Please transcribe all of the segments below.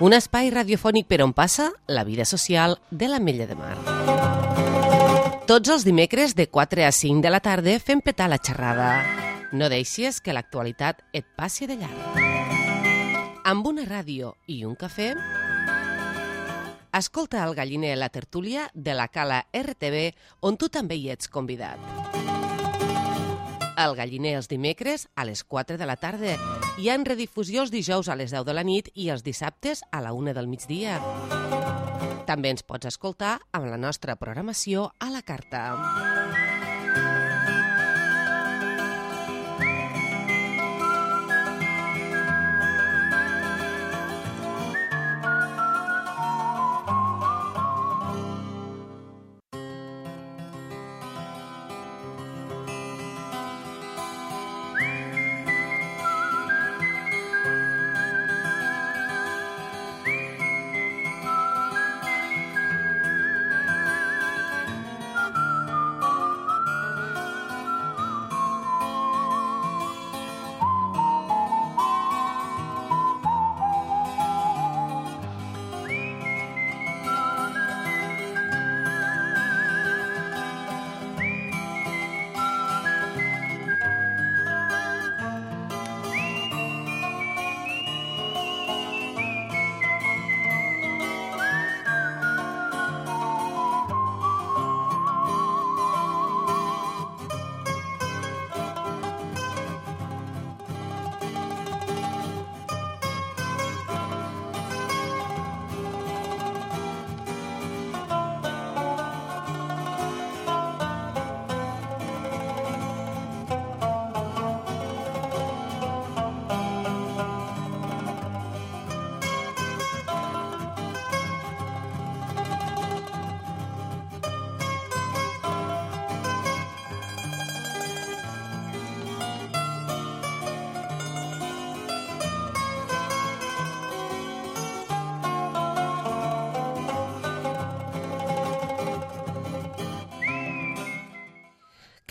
Un espai radiofònic per on passa la vida social de l'Ametlla de Mar. Tots els dimecres de 4 a 5 de la tarda fem petar la xerrada. No deixis que l'actualitat et passi de llarg. Amb una ràdio i un cafè, escolta el Galliner la tertúlia de la Cala RTV, on tu també hi ets convidat. El Galliner els dimecres a les 4 de la tarda. Hi ha en redifusió els dijous a les 10 de la nit i els dissabtes a la 1 del migdia. També ens pots escoltar amb la nostra programació a la carta.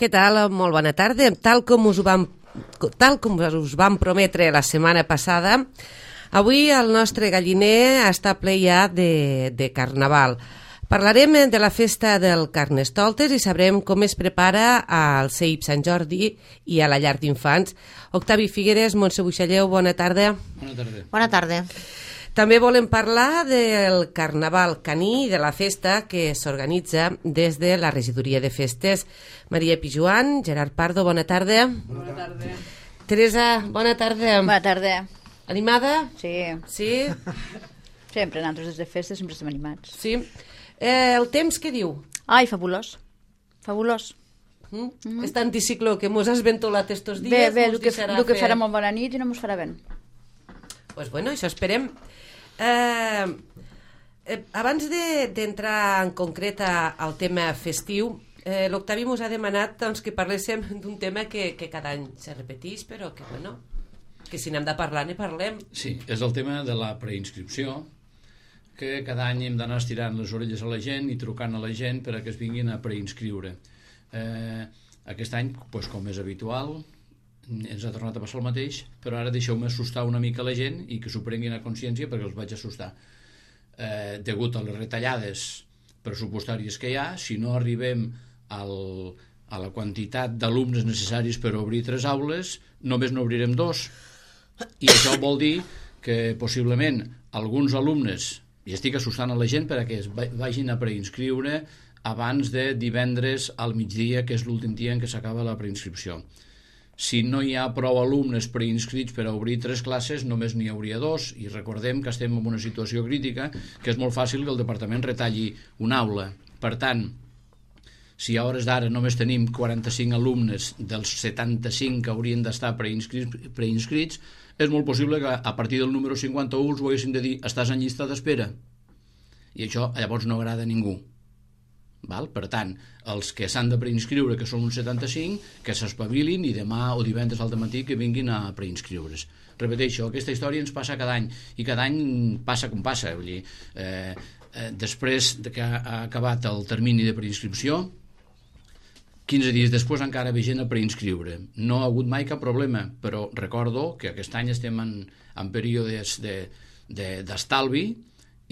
Què tal? Molt bona tarda. Tal com us vam prometre la setmana passada, avui el nostre Galliner està ple ja de Carnaval. Parlarem de la festa del Carnestoltes i sabrem com es prepara al CEIP Sant Jordi i a la llar d'infants. Octavi Figueres, Montse Buixalleu, bona tarda. Bona tarda. Bona tarda. També volem parlar del Carnaval caní i de la festa que s'organitza des de la Regidoria de Festes. Maria Pijuan, Gerard Pardo, bona tarda. Bona tarda. Teresa, bona tarda. Bona tarda. Animada? Sí. Sí? Sempre, nosaltres des de festes sempre estem animats. Sí. El temps què diu? Ai, fabulós. Fabulós. Aquest anticicló que mos has ventolat estos dies Bé, el que farà molt bona nit i no mos farà vent. Pues bueno, això esperem. Abans d'entrar en concret al tema festiu, l'Octavi mos ha demanat doncs, que parléssim d'un tema que cada any se repeteix, però que, bueno, que si n'hem de parlar, ne parlem. Sí, és el tema de la preinscripció, que cada any hem d'anar estirant les orelles a la gent i trucant a la gent per a que es vinguin a preinscriure. Aquest any, doncs, com és habitual, ens ha tornat a passar el mateix, però ara deixeu-me assustar una mica la gent i que s'ho prenguin a consciència perquè els vaig assustar. Degut a les retallades pressupostàries que hi ha, si no arribem a la quantitat d'alumnes necessaris per obrir 3 aules, només n'obrirem 2. I això vol dir que possiblement alguns alumnes, i estic assustant a la gent perquè es vagin a preinscriure abans de divendres al migdia, que és l'últim dia en què s'acaba la preinscripció. Si no hi ha prou alumnes preinscrits per a obrir 3 classes, només n'hi hauria 2, i recordem que estem en una situació crítica, que és molt fàcil que el departament retalli una aula. Per tant, si a hores d'ara només tenim 45 alumnes dels 75 que haurien d'estar preinscrits, és molt possible que a partir del número 51 els ho haguéssim de dir estàs en llista d'espera. I això llavors no agrada a ningú. Val? Per tant, els que s'han de preinscriure, que són uns 75, que s'espavilin i demà o divendres al dematí que vinguin a preinscriure's. Repeteixo, aquesta història ens passa cada any, i cada any passa com passa. Vull dir, després que ha acabat el termini de preinscripció, 15 dies després encara ve gent a preinscriure. No ha hagut mai cap problema, però recordo que aquest any estem en períodes d'estalvi,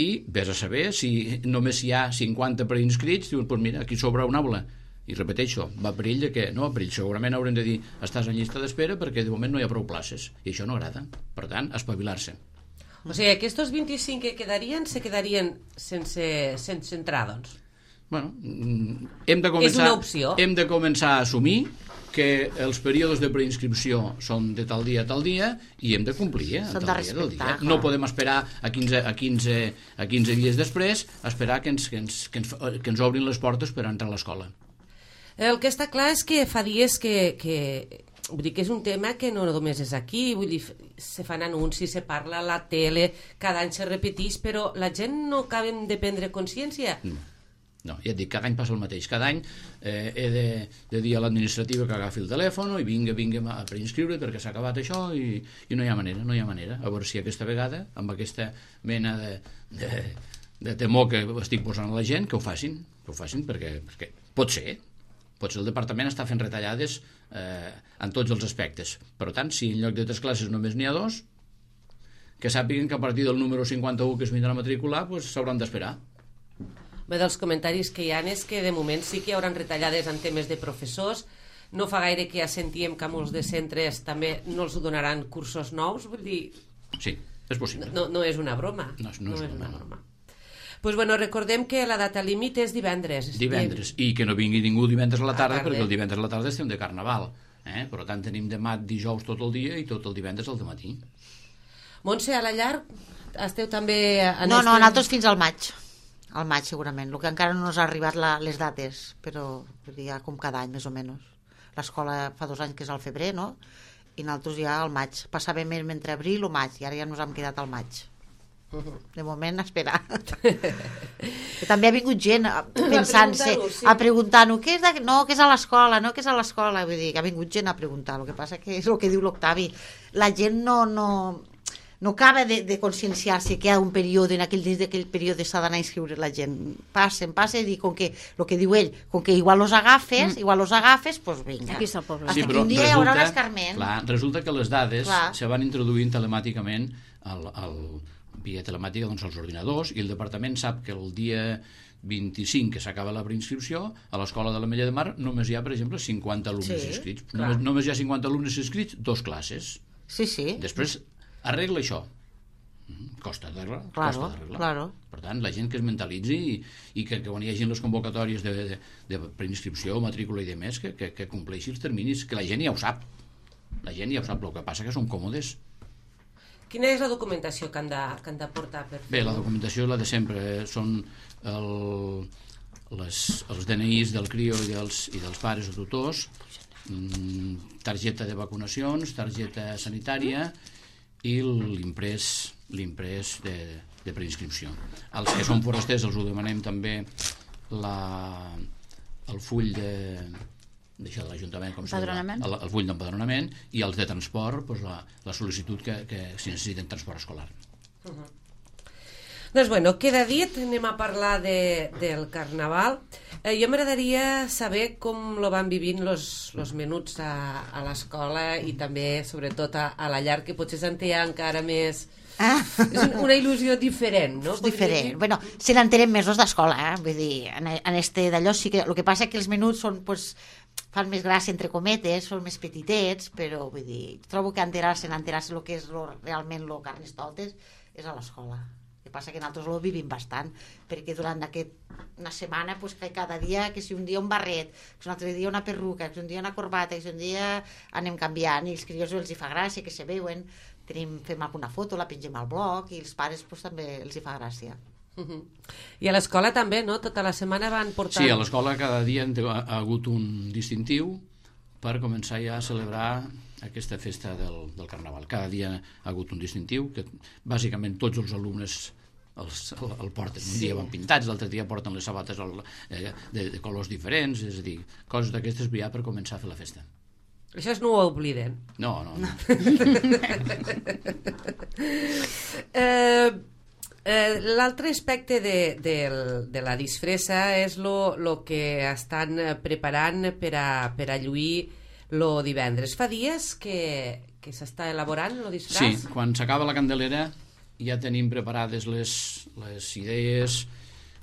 i vés a saber si només hi ha 50 preinscrits, dius, doncs mira, aquí sobra una aula. I repeteixo, va perill de que no, perill, segurament haurem de dir estàs en llista d'espera perquè de moment no hi ha prou places, i això no agrada. Per tant, espavilar-se. O sigui, aquests 25 que quedarien se quedarien sense entrar, doncs. Bueno, hem de començar a assumir que els períodes de preinscripció són de tal dia a tal dia i hem de complir, Són de respectar. No podem esperar a 15 dies després a esperar que ens obrin les portes per entrar a l'escola. El que està clar és que fa dies que vull dir que és un tema que no només és aquí, vull dir, se fan anuncis, se parla a la tele, cada any se repeteix, però la gent no acabem de prendre consciència. No, ja et dic, cada any passa el mateix. Cada any he de dir a l'administrativa que agafi el telèfon i vinga a preinscriure perquè s'ha acabat això i no hi ha manera. A veure si aquesta vegada, amb aquesta mena de temor que estic posant a la gent, que ho facin perquè pot ser el departament està fent retallades en tots els aspectes. Per tant, si en lloc de 3 classes només n'hi ha 2, que sàpiguen que a partir del número 51 que es vindrà a matricular s'hauran d'esperar. Bé, dels comentaris que hi ha és que de moment sí que hi haurà retallades en temes de professors. No fa gaire que ja sentíem que a molts de centres també no els donaran cursos nous, vull dir... Sí, és possible. No és una broma. No és una broma. Pues bueno, recordem que la data límit és divendres. Divendres, i que no vingui ningú divendres a la tarda, perquè el divendres a la tarda estem de Carnaval. Per tant, tenim demà dijous tot el dia i tot el divendres al dematí. Montse, a la llar esteu també... No, nosaltres fins al maig. Al maig, segurament. El que encara no ens ha arribat les dates, però ja com cada any, més o menys. L'escola fa 2 anys que és al febrer, no? I nosaltres ja al maig. Passàvem entre abril o maig, i ara ja ens hem quedat al maig. De moment, esperar. També ha vingut gent pensant-se, a preguntar-nos què és a l'escola, què és a l'escola. Vull dir, que ha vingut gent a preguntar. El que passa que és el que diu l'Octavi. La gent no acaba de conscienciar-se que hi ha un període, dins d'aquell període s'ha d'anar a inscriure la gent. Passen, i com que, el que diu ell, com que igual los agafes, doncs vinga. Aquí està el poble. Sí, però un dia hi haurà un escarment. Clar, resulta que les dades se van introduint telemàticament via telemàtica als ordinadors, i el departament sap que el dia 25 que s'acaba la preinscripció, a l'escola de l'Ametlla de Mar només hi ha, per exemple, 50 alumnes inscrits. Només hi ha 50 alumnes inscrits, 2 classes. Sí. Després arregla això. Costa d'arreglar. Claro. Per tant, la gent que es mentalitzi i que quan hi hagi les convocatòries de preinscripció, matrícula i demés, que compleixi els terminis, que la gent ja ho sap. El que passa que són còmodes. Quina és la documentació que han de portar per fer-ho? Bé, la documentació és la de sempre. Són els DNIs del CRIO i dels pares o tutors, targeta de vacunacions, targeta sanitària i l'imprès de preinscripció. Els que són forasters els ho demanem també el full d'això de l'Ajuntament, el full d'empadronament, i els de transport, la sol·licitud que si necessiten transport escolar. Doncs bueno, queda dit, anem a parlar del Carnaval. Jo m'agradaria saber com lo van vivint los menuts a l'escola i també, sobretot, a la llar, que potser se'n té encara més... És una il·lusió diferent, no? És diferent. Bueno, se n'entenen més els d'escola, vull dir, en este d'allò sí que... El que passa és que els menuts són, fan més gràcia, entre cometes, són més petitets, però, vull dir, trobo que enterar-se el que és realment el Carnestoltes és a l'escola. El que passa que nosaltres ho vivim bastant, perquè durant una setmana, que cada dia, que si un dia un barret, que un altre dia una perruca, que un dia una corbata, que si un dia anem canviant, i els crios els hi fa gràcia, que se veuen, fem alguna foto, la pengem al blog, i els pares també els hi fa gràcia. I a l'escola també, no? Tota la setmana van portant... Sí, a l'escola cada dia ha hagut un distintiu per començar ja a celebrar aquesta festa del Carnaval. Cada dia ha hagut un distintiu que bàsicament tots els alumnes el porten. Un dia van pintats, l'altre dia porten les sabates de colors diferents, és a dir, coses d'aquestes ja per començar a fer la festa. Això no ho obliden. No. L'altre aspecte de la disfressa és lo que estan preparant per a lluir lo divendres. Fa dies que s'està elaborant lo disfraç? Sí, quan s'acaba la Candelera ja tenim preparades les idees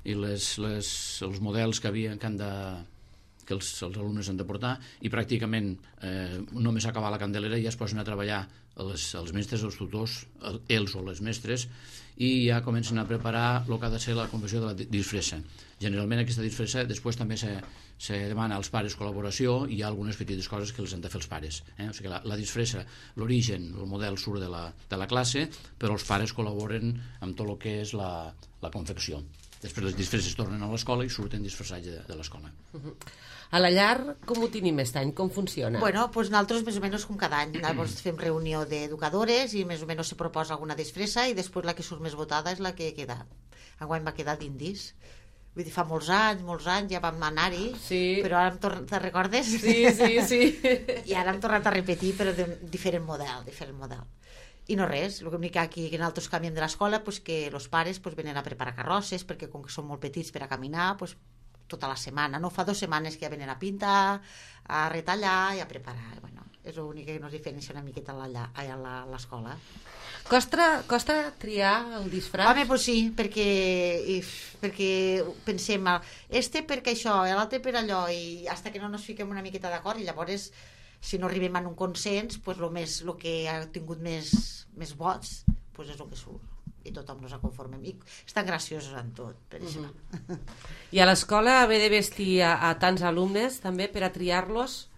i els models que els alumnes han de portar, i pràcticament només acabar la Candelera ja es posen a treballar els mestres, els tutors, ells o les mestres, i ja comencen a preparar el que ha de ser la confecció de la disfressa. Generalment aquesta disfressa després també se demana als pares col·laboració, i hi ha algunes petites coses que els han de fer els pares. O sigui, la disfressa, l'origen, el model surt de la classe, però els pares col·laboren amb tot el que és la confecció. Després les disfresses tornen a l'escola i surten disfressats de l'escola. A la llar, com ho tenim aquest any? Com funciona? Bueno, doncs nosaltres més o menys com cada any. Llavors fem reunió d'educadores i més o menys se proposa alguna disfressa, i després la que surt més votada és la que queda. Enguany va quedar d'indis. Vull dir, fa molts anys ja vam anar-hi, sí. Però ara te'n recordes? Sí. I ara hem tornat a repetir, però de diferent model. I no res, l'únic que aquí que nosaltres canviem de l'escola, pues que els pares pues, venen a preparar carrosses, perquè com que són molt petits per a caminar, pues, tota la setmana, no? Fa 2 setmanes que ja venen a pintar, a retallar i a preparar. Bueno, és l'únic que ens diferencia una miqueta allà a l'escola. Costa triar el disfraç? Home, pues sí, perquè pensem perquè això, l'altre per allò, i fins que no ens fiquem una miqueta d'acord, i llavors si no arribem a un consens, pues el que ha tingut més vots pues és el que surt, i tothom nos conformem, i estan graciosos en tot, per això. I a l'escola haver de vestir a tants alumnes també per a triar-los?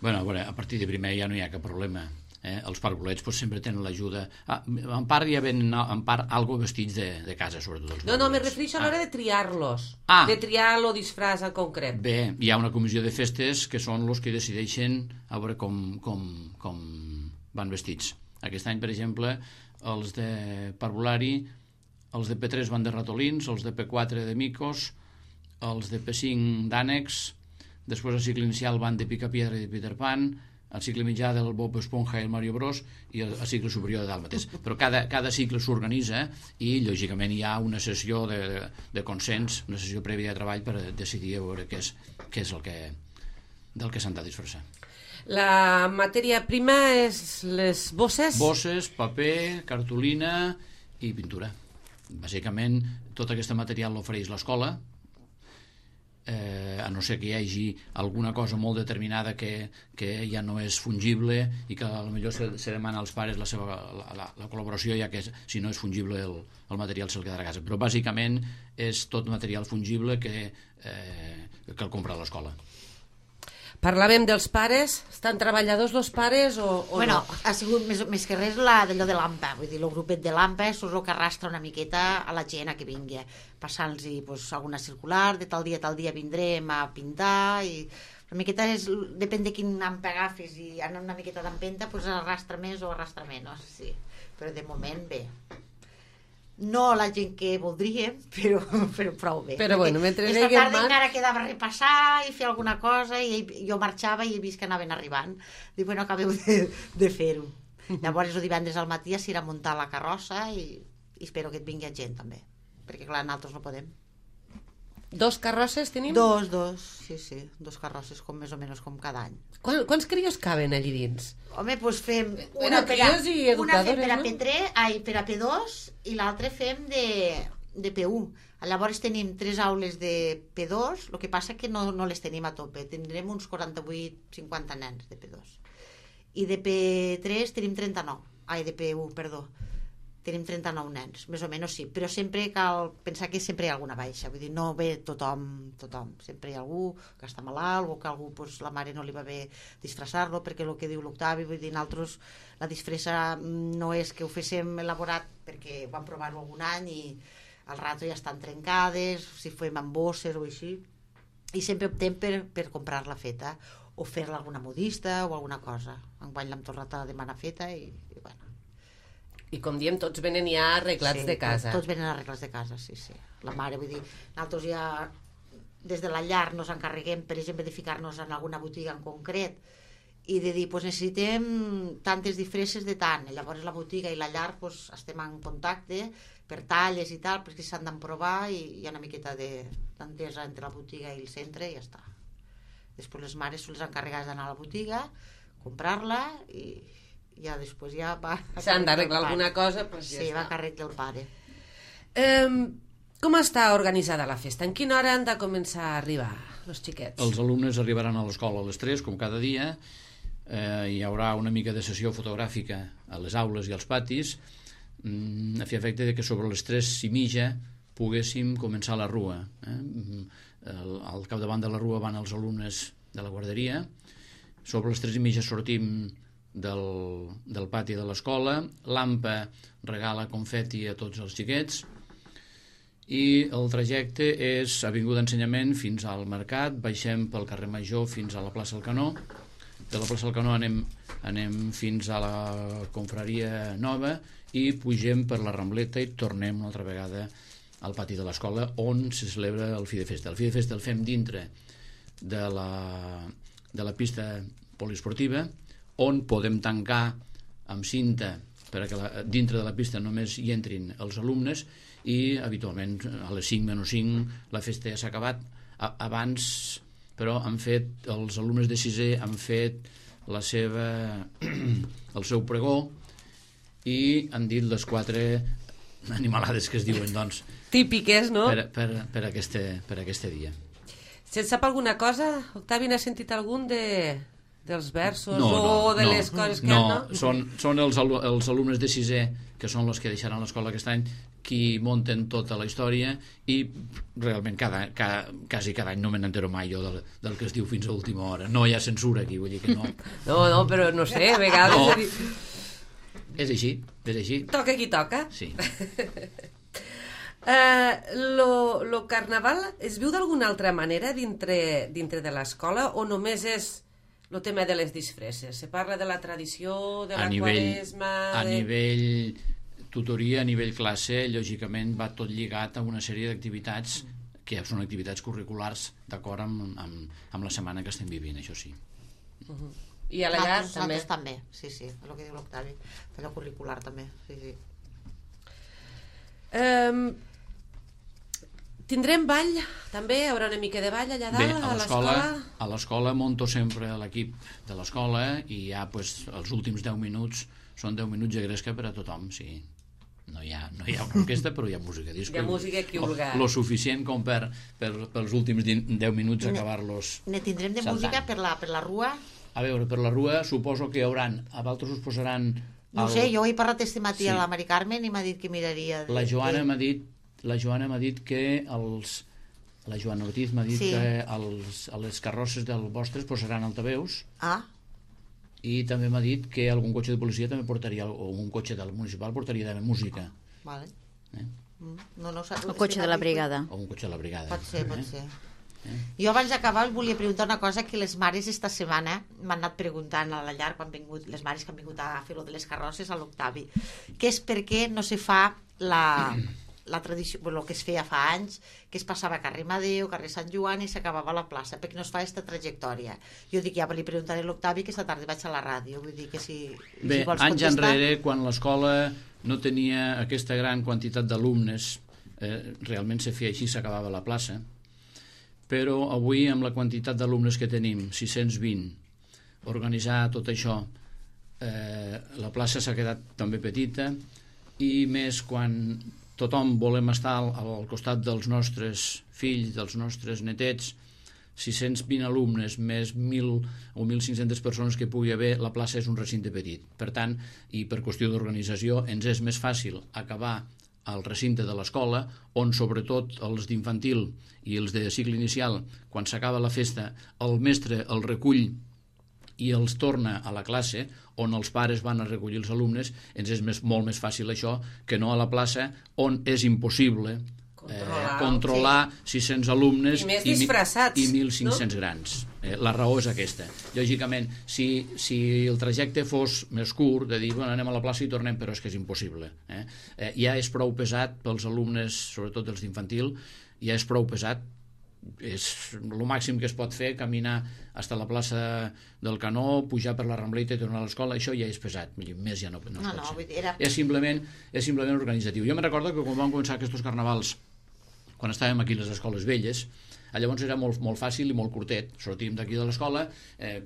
Bueno, a veure, a partir de primer ja no hi ha cap problema. Els parvulets pues, sempre tenen l'ajuda. En part ja venen algo vestits de casa, sobretot els No, me refereixo a l'hora de triar-los, de triar el disfraç en concret. Bé, hi ha una comissió de festes que són els que decideixen a veure com van vestits. Aquest any, per exemple, els de parvulari, els de P3 van de ratolins, els de P4 de micos, els de P5 d'ànecs, després al cicle inicial van de Picapiedra i de Peter Pan, al cicle mitjà del Bob Esponja i el Mario Bros, i al cicle superior de Dàlmates. Però cada cicle s'organitza i, lògicament, hi ha una sessió de consens, una sessió prèvia de treball per decidir a veure què és del que s'han de disfressar. La matèria prima és les bosses? Bosses, paper, cartolina i pintura. Bàsicament, tot aquest material l'ofereix l'escola, a no ser que hi hagi alguna cosa molt determinada que ja no és fungible i que potser se demana als pares la col·laboració, ja que si no és fungible el material se'l quedarà a casa. Però bàsicament és tot material fungible que el compra a l'escola. Parlàvem dels pares. Estan treballadors els pares o bueno, no? Ha sigut més que res d'allò de l'AMPA, vull dir, el grupet de l'AMPA és el que arrastra una miqueta a la gent a que vingui, passant-los pues, alguna circular, de tal dia vindrem a pintar, i una miqueta depèn de quin AMPA agafis, i anar una miqueta d'empenta pues, arrastra més o arrastra menys, sí. Però de moment bé. No la gent que voldríem, però prou bé. Però bueno, mentre esta tarda encara quedava repassar i fer alguna cosa, i jo marxava i he vist que anaven arribant. Dic, bueno, acabeu de fer-ho. Llavors el divendres al matí s'hi irà a muntar la carrossa i espero que et vingui gent també, perquè clar, nosaltres no podem. 2 carrosses tenim? Dos, sí, 2 carrosses més o menys com cada any. Quants crios caben allí dins? Home, doncs fem una per a P3, per a P2 i l'altra fem de P1. Llavors tenim 3 aules de P2, el que passa que no les tenim a tope, tindrem uns 48-50 nens de P2. I de P3 tenim 39, de P1, perdó. Tenim 39 nens, més o menys sí, però sempre cal pensar que sempre hi ha alguna baixa, vull dir, no ve tothom, sempre hi ha algú que està malalt o que algú, pues, la mare no li va bé disfressar-lo, perquè el que diu l'Octavi, vull dir, nosaltres la disfressa no és que ho féssim elaborat perquè vam provar-ho algun any i al rato ja estan trencades, si fem amb bosses o així, i sempre optem per comprar-la feta o fer-la alguna modista o alguna cosa. Enguany l'hem tornat a demanar feta i bueno. I com diem, tots venen ja arreglats de casa. Tots venen arreglats de casa, sí. La mare, vull dir, nosaltres ja des de la llar nos encarreguem, per exemple, de ficar-nos en alguna botiga en concret i de dir, pues, necessitem tantes disfresses de tant. I llavors la botiga i la llar pues, estem en contacte per talles i tal, perquè s'han d'emprovar i hi ha una miqueta d'entesa entre la botiga i el centre i ja està. Després les mares són les encarregades d'anar a la botiga, comprar-la i ja després ja va... S'han d'arreglar alguna cosa, doncs ja sí, va està. càrrec del pare. Com està organitzada la festa? En quina hora han de començar a arribar els xiquets? Els alumnes arribaran a l'escola a les 3, com cada dia. Hi haurà una mica de sessió fotogràfica a les aules i als patis, a fi efecte de que sobre les 3:30 poguéssim començar la rua. Al capdavant de la rua van els alumnes de la guarderia. Sobre les 3:30 sortim del pati de l'escola. L'AMPA regala confeti a tots els xiquets i el trajecte és Avinguda Ensenyament fins al Mercat, baixem pel carrer Major fins a la plaça del Canó. De la plaça del Canó anem fins a la Confraria Nova i pugem per la Rambleta i tornem una altra vegada al pati de l'escola on se celebra el Fi de Festa. El Fi de Festa el fem dintre de la pista poliesportiva, on podem tancar amb cinta perquè dintre de la pista només hi entrin els alumnes i habitualment a les 5:05 la festa ja s'ha acabat. Abans, però, els alumnes de 6è han fet el seu pregó i han dit les 4 animalades que es diuen, doncs, Típiques, no? per aquest dia. Se'n sap alguna cosa? Octavi, n'ha sentit algun dels versos o de les coses que... No, són els alumnes de 6è, que són els que deixaran l'escola aquest any, qui munten tota la història i realment quasi cada any no me n'entero mai jo del que es diu fins a última hora. No hi ha censura aquí, vull dir que no. No, però no sé, a vegades... No. És així. Toca qui toca. Sí. Lo carnaval es viu d'alguna altra manera dintre de l'escola o només és el tema de les disfresses? Se parla de la tradició, de la quaresma... A nivell tutoria, a nivell classe, lògicament va tot lligat a una sèrie d'activitats que són activitats curriculars d'acord amb la setmana que estem vivint, això sí. I a la llar també? Nosaltres també, sí, el que diu l'Octavi, allò curricular també, sí. Tindrem ball, també? Hi haurà una mica de ball allà dalt, a l'escola? A l'escola monto sempre l'equip de l'escola i ja els últims 10 minuts són 10 minuts de gresca per a tothom, sí. No hi ha una orquestra, però hi ha música. Hi ha música que vulgar. Lo suficient com pels últims 10 minuts acabar-los Ne tindrem de música per la rua? A veure, per la rua suposo que hi hauran, a vosaltres us posaran... No sé, jo he parlat este matí a la Mari Carmen i m'ha dit que miraria... La Joana m'ha dit que la Joana Ortiz m'ha dit que a les carrosses del vostres posaran altaveus. I també m'ha dit que algun cotxe de policia també portaria, o un cotxe del municipal portaria també música. Vale. El cotxe de la brigada. O un cotxe de la brigada. Pot ser. Jo abans d'acabar us volia preguntar una cosa que les mares esta setmana m'han anat preguntant a la llar quan han vingut, les mares que han vingut a fer-lo de les carrosses a l'Octavi, que és per què no se fa la tradició, el que es feia fa anys, que es passava a carrer Madeu, carrer Sant Joan i s'acabava a la plaça, perquè no es fa aquesta trajectòria. Jo dic, ja li preguntaré a l'Octavi que esta tarda vaig a la ràdio, vull dir que si Bé, vols anys contestar... enrere, quan l'escola no tenia aquesta gran quantitat d'alumnes, realment se feia així, s'acabava a la plaça, però avui amb la quantitat d'alumnes que tenim, 620, organitzar tot això, la plaça s'ha quedat també petita i més quan tothom volem estar al costat dels nostres fills, dels nostres netets, 620 alumnes més 1.000 o 1.500 persones que pugui haver, la plaça és un recinte petit. Per tant, i per qüestió d'organització, ens és més fàcil acabar al recinte de l'escola, on sobretot els d'infantil i els de cicle inicial, quan s'acaba la festa, el mestre el recull i els torna a la classe, on els pares van a recollir els alumnes, ens és molt més fàcil això que no a la plaça, on és impossible controlar 600 alumnes i més disfressats i 1.500 grans. La raó és aquesta. Lògicament, si el trajecte fos més curt, de dir, bueno, anem a la plaça i tornem, però és que és impossible. Ja és prou pesat pels alumnes, sobretot els d'infantil, ja és prou pesat, és el màxim que es pot fer, caminar fins a la plaça del Canó, pujar per la Rambleta i tornar a l'escola, això ja és pesat, més ja no es pot ser. És simplement organitzatiu. Jo me'n recordo que quan vam començar aquests carnavals quan estàvem aquí a les escoles velles. Llavors era molt fàcil i molt curtet. Sortíem d'aquí de l'escola,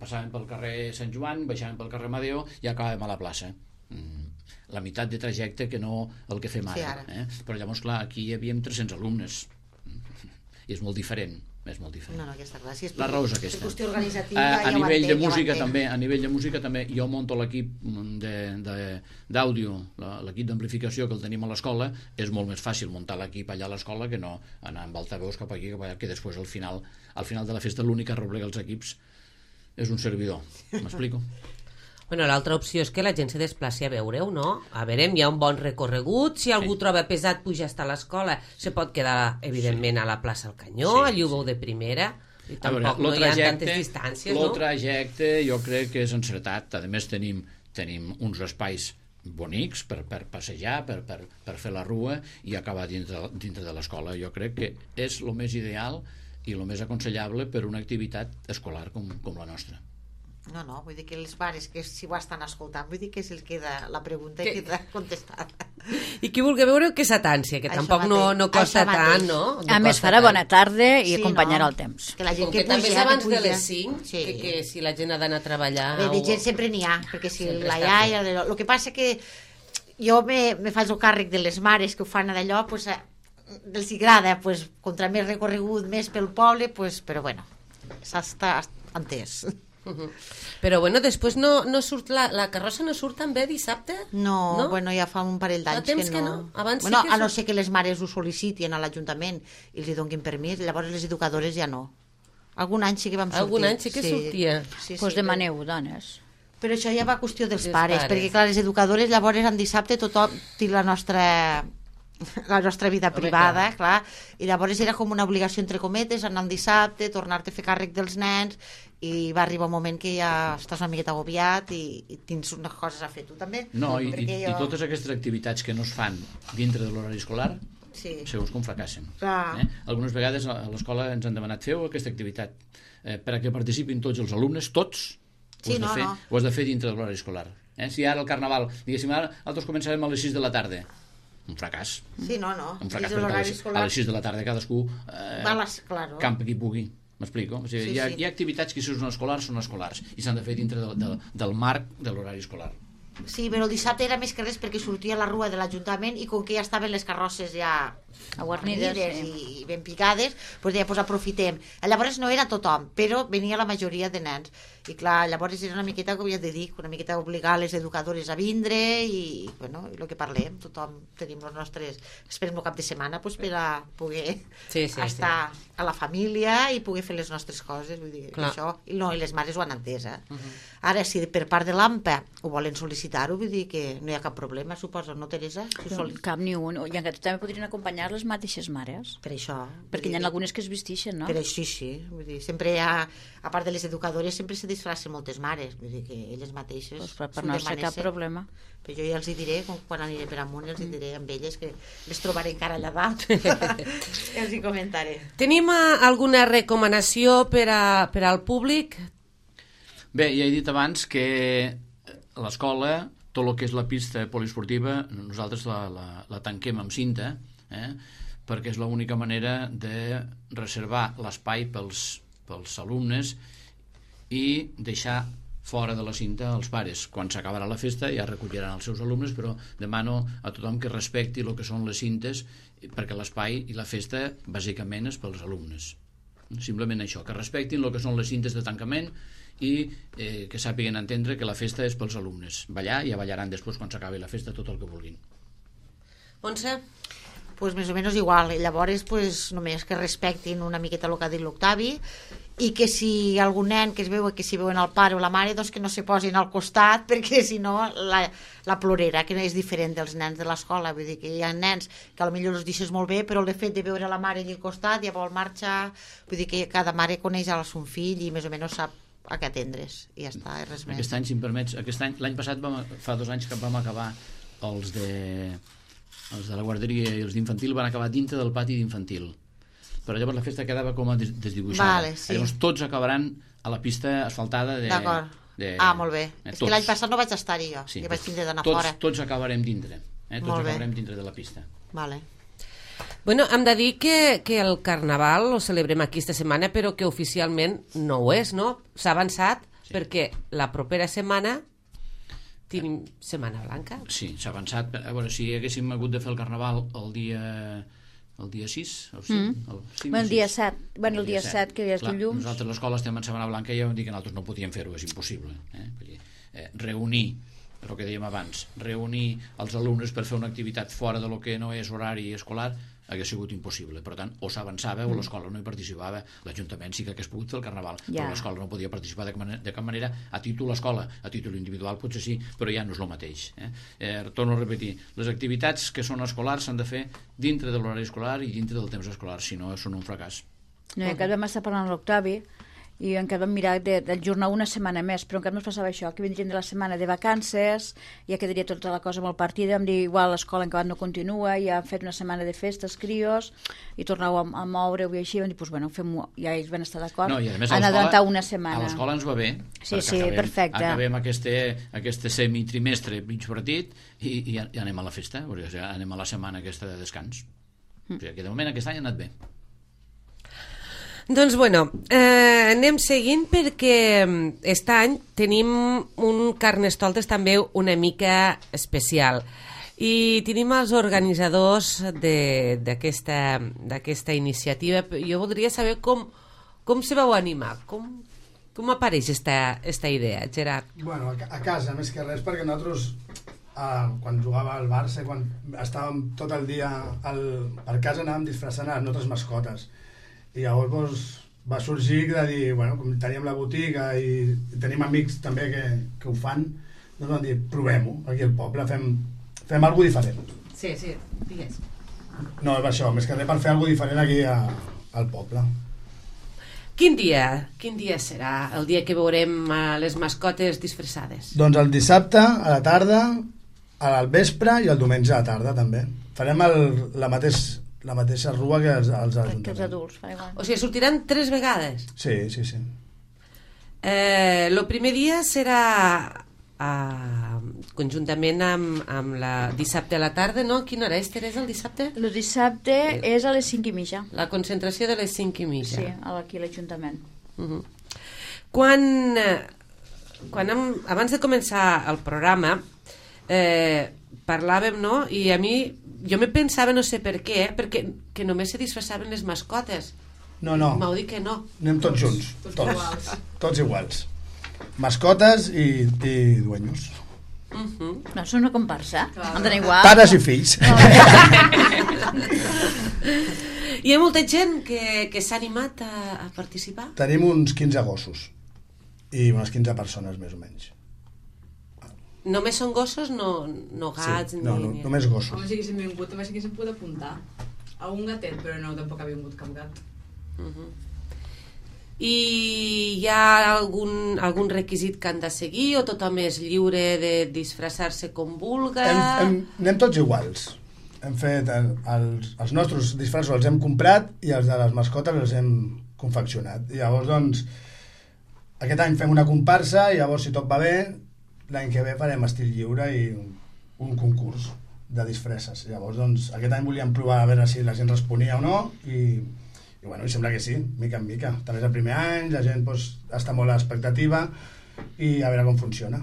passàvem pel carrer Sant Joan, baixàvem pel carrer Amadeo i acabàvem a la plaça. La meitat de trajecte que no el que fem ara. Però llavors, clar, aquí hi havíem 300 alumnes i és molt diferent. No, aquesta clar. Si és la raó és aquesta. Qüestió organitzativa, a nivell de música també, jo monto l'equip d'àudio, l'equip d'amplificació que el tenim a l'escola. És molt més fàcil muntar l'equip allà a l'escola que no anar amb altaveus cap aquí, cap allà, que després al final de la festa l'únic que arreplega els equips és un servidor. M'explico? Bueno, l'altra opció és que la gent se desplaci a veure-ho, no? A veure, hi ha un bon recorregut, si algú troba pesat puja fins a l'escola, se pot quedar, evidentment, a la plaça al Canyó, allí ho veu de primera, i tampoc no hi ha tantes distàncies, no? El trajecte jo crec que és encertat. A més, tenim uns espais bonics per passejar, per fer la rua i acabar dintre de l'escola. Jo crec que és el més ideal i el més aconsellable per una activitat escolar com la nostra. No, vull dir que els pares que si ho estan escoltant, vull dir que se'ls queda la pregunta i queda contestada. I qui vulgui veure que s'atància, que tampoc no costa tant, no? A més, farà bona tarda i acompanyarà el temps. Que la gent que també és abans de les 5, que si la gent ha d'anar a treballar... De gent sempre n'hi ha, perquè si la iaia... El que passa que jo me faig el càrrec de les mares que ho fan d'allò, doncs els agrada, contra més recorregut, més pel poble, però bueno, s'ha entès. Però bueno, després no surt la carrossa no surt també dissabte? No, bueno, ja fa un parell d'anys que no. Abans bueno, a no ser que les mares ho sol·licitin a l'Ajuntament i els donin permís, llavors les educadores ja no. Algun any sí que vam sortir. Algun any sí que sortia. Doncs demanem, dones. Però això ja va qüestió dels pares, perquè clar, les educadores llavors en dissabte tothom té la nostra vida privada, clar, i llavors era com una obligació entre cometes anar el dissabte, tornar-te a fer càrrec dels nens, i va arribar un moment que ja estàs una miqueta agobiat i tens unes coses a fer tu també. No, i totes aquestes activitats que no es fan dintre de l'horari escolar segons com fracassen. Algunes vegades a l'escola ens han demanat feu aquesta activitat perquè participin tots els alumnes, tots ho has de fer dintre de l'horari escolar. Si ara el Carnaval, diguéssim, ara nosaltres començarem a les 6 de la tarda, un fracàs. Sí, no. Un fracàs perquè a les 6 de la tarda cadascú campa qui pugui. M'explico? O sigui, hi ha activitats que si són escolars i s'han de fer dintre del marc de l'horari escolar. Sí, però el dissabte era més que res perquè sortia a la rua de l'Ajuntament i com que ja estaven les carrosses ja guarnides i ben picades, doncs ja aprofitem. Llavors no era tothom, però venia la majoria de nens. I clar, llavors era una miqueta, com ja te dic, una miqueta obligar les educadores a vindre i el que parlem, tothom tenim els nostres... Esperem el cap de setmana per a poder estar a la família i poder fer les nostres coses. Vull dir, això, i les mares ho han entès. Ara, si per part de l'AMPA ho volen sol·licitar-ho, vull dir que no hi ha cap problema, suposo, no, Teresa? Cap ni un. I en també podrien acompanyar les mateixes mares. Per això. Perquè hi ha algunes que es vestixen, no? Per això sí. Vull dir, sempre hi ha, a part de les educadores, sempre se disfracen moltes mares. Vull dir que elles mateixes... Per no ser cap problema. Però jo ja els diré, quan aniré per amunt, els diré amb elles que les trobaré encara allà dalt. Els hi comentaré. Tenim alguna recomanació per al públic? Bé, ja he dit abans que a l'escola, tot el que és la pista poliesportiva, nosaltres la tanquem amb cinta, perquè és l'única manera de reservar l'espai pels alumnes i deixar fora de la cinta els pares. Quan s'acabarà la festa ja recolliran els seus alumnes, però demano a tothom que respecti el que són les cintes, perquè l'espai i la festa bàsicament és pels alumnes. Simplement això, que respectin el que són les cintes de tancament i que sàpiguen entendre que la festa és pels alumnes. Ballar, ja ballaran després quan s'acabi la festa tot el que vulguin. Montse? Pues més o menys igual. Llavors, només que respectin una miqueta el que ha dit l'Octavi i que si algun nen que es veu que si veuen el pare o la mare, doncs que no se posin al costat, perquè si no la plorera, que és diferent dels nens de l'escola. Vull dir que hi ha nens que potser els deixes molt bé, però el fet de veure la mare allà al costat ja vol marxar. Vull dir que cada mare coneix a son fill i més o menys sap a què atendre's i ja està, res més. Aquest any, si em permets, l'any passat fa 2 anys que vam acabar els de la guarderia i els d'infantil van acabar dintre del pati d'infantil, però llavors la festa quedava com a desdibuixada. Llavors tots acabaran a la pista asfaltada d'acord. Molt bé. És que l'any passat no vaig estar-hi jo, vaig tindre d'anar fora. Tots acabarem dintre, tots acabarem dintre de la pista. Vale. Bueno, hem de dir que el Carnaval ho celebrem aquí esta setmana, però que oficialment no ho és, no? S'ha avançat perquè la propera setmana tenim Setmana Blanca. Sí, s'ha avançat. A veure, si haguéssim hagut de fer el Carnaval el dia 6 o sí? El dia 7. Bueno, el dia 7, que ja és dilluns. Nosaltres l'escola estem en Setmana Blanca i ja vam dir que nosaltres no podíem fer-ho, és impossible. Reunir, el que dèiem abans, reunir els alumnes per fer una activitat fora de lo que no és horari escolar hagués sigut impossible. Per tant, o s'avançava o l'escola no hi participava. L'Ajuntament sí que hagués pogut fer el Carnaval, però l'escola no podia participar de cap manera a títol escola. A títol individual potser sí, però ja no és el mateix. Torno a repetir, les activitats que són escolars s'han de fer dintre de l'horari escolar i dintre del temps escolar, si no són un fracàs. No, i encara vam estar parlant amb l'Octavi i encara vam mirar d'ajornar una setmana més, però encara no es passava això, que vindrien de la setmana de vacances, ja quedaria tota la cosa molt partida, vam dir igual l'escola en acabat no continua, ja hem fet una setmana de festes, crios, i tornau a moure-ho i així, vam dir, doncs bueno, fem-ho, ja ells van estar d'acord, han adelantat una setmana. A l'escola ens va bé, sí, perfecte. Acabem aquest semitrimestre mig partit i anem a la festa, o sigui, anem a la setmana aquesta de descans. O sigui, que de moment aquest any ha anat bé. Doncs bueno, anem seguint perquè aquest any tenim un Carnestoltes també una mica especial i tenim els organitzadors d'aquesta iniciativa. Jo voldria saber com se vau animar, com apareix esta idea, Gerard? Bueno, a casa, més que res, perquè nosaltres quan jugava al Barça, quan estàvem tot el dia per casa, anàvem disfressant a les nostres mascotes. I llavors doncs, va sorgir de dir, bueno, com teníem la botiga i tenim amics també que ho fan, doncs vam dir, provem-ho aquí al poble, fem alguna cosa diferent. Sí, digues. No, és això, més que res per fer alguna cosa diferent aquí al poble. Quin dia serà el dia que veurem les mascotes disfressades? Doncs el dissabte a la tarda, al vespre i el diumenge a la tarda també. Farem la mateixa rua que els ajuntaments. Que els adults, fa igual. O sigui, sortiran 3 vegades? Sí. El primer dia serà conjuntament amb la dissabte a la tarda, no? Quina hora és, Teresa, el dissabte? El dissabte és a les 5:30. La concentració de les 5:30. Sí, aquí a l'Ajuntament. Abans de començar el programa parlàvem, no? I a mi jo me pensava, no sé per què, perquè que només se disfressaven les mascotes. No. M'heu dit que no. Anem tots junts, tots iguals. Mascotes i dueños. No, són una comparsa. Han d'anar igual. Pares i fills. Hi ha molta gent que s'ha animat a participar? Tenim uns 15 gossos i unes 15 persones més o menys. Només són gossos, no gats? Sí, no, només gossos. Home, si haguéssim vingut, també s'haguéssim pogut apuntar. Algun gatet, però no, tampoc ha vingut cap gat. I hi ha algun requisit que han de seguir o tothom és lliure de disfressar-se com vulga? Anem tots iguals. Hem fet els nostres disfressos els hem comprat i els de les mascotes els hem confeccionat. I llavors, doncs, aquest any fem una comparsa i llavors, si tot va bé, l'any que ve farem estil lliure i un concurs de disfresses. Llavors, doncs, aquest any volíem provar a veure si la gent responia o no i bueno, sembla que sí, mica en mica. També és el primer any, la gent està molt a l'expectativa i a veure com funciona.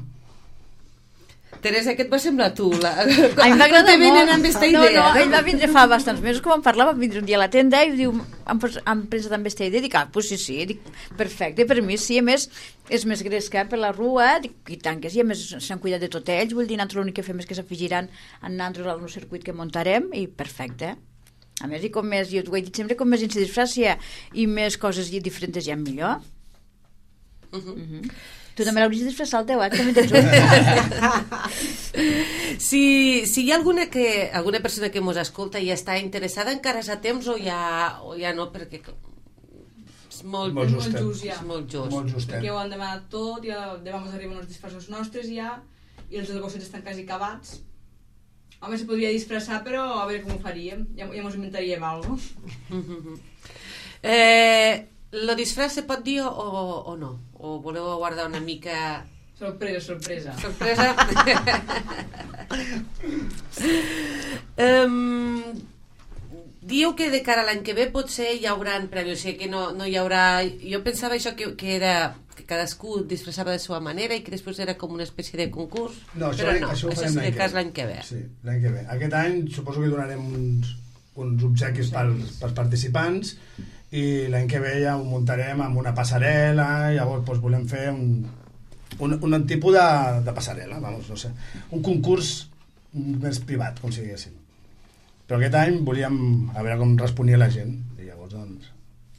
Teresa, què et va semblar tu? A mi m'ha agradat molt. Amb aquesta idea, no? Ell va vindre fa bastants mesos que vam parlar, va vindre un dia a la tenda i diu, han pensat amb aquesta idea, dic, pues sí, dic, perfecte, per mi sí, a més és més gresca per la rua, dic, i tant que sí, a més s'han cuidat de tot ells, vull dir, nosaltres l'únic que fem és que s'afegiran en nosaltres al nou circuit que muntarem i perfecte. A més, i com més, jo t'ho he dit sempre, com més se disfressa i més coses diferents hi ha millor. Tu també l'hauries de disfressar el teu, també tens un. Si hi ha alguna persona que ens escolta i està interessada, encara és a temps o ja no, perquè és molt just ja. És molt just. Perquè ho han demanat tot, ja demà ens arriben els disfressos nostres ja, i els dels gossets estan quasi acabats. Home, se podria disfressar, però a veure com ho faríem. Ja ens inventaríem alguna cosa. Lo disfress se pot dir o no? O voleu guardar una mica... Sorpresa. Diu que de cara a l'any que ve potser hi haurà premis, o sigui que no hi haurà... Jo pensava això que era que cadascú disfressava de la seva manera i que després era com una espècie de concurs, No, però no, això ho això farem és de cas l'any que ve. Sí, l'any que ve. Aquest any suposo que donarem uns obsequis pels participants i l'any que ve ja ho muntarem amb una passarel·la, llavors doncs, volem fer un tipus de passarel·la, vamos, no sé, un concurs més privat, com si diguéssim. Però aquest any volíem a veure com responia la gent i llavors doncs,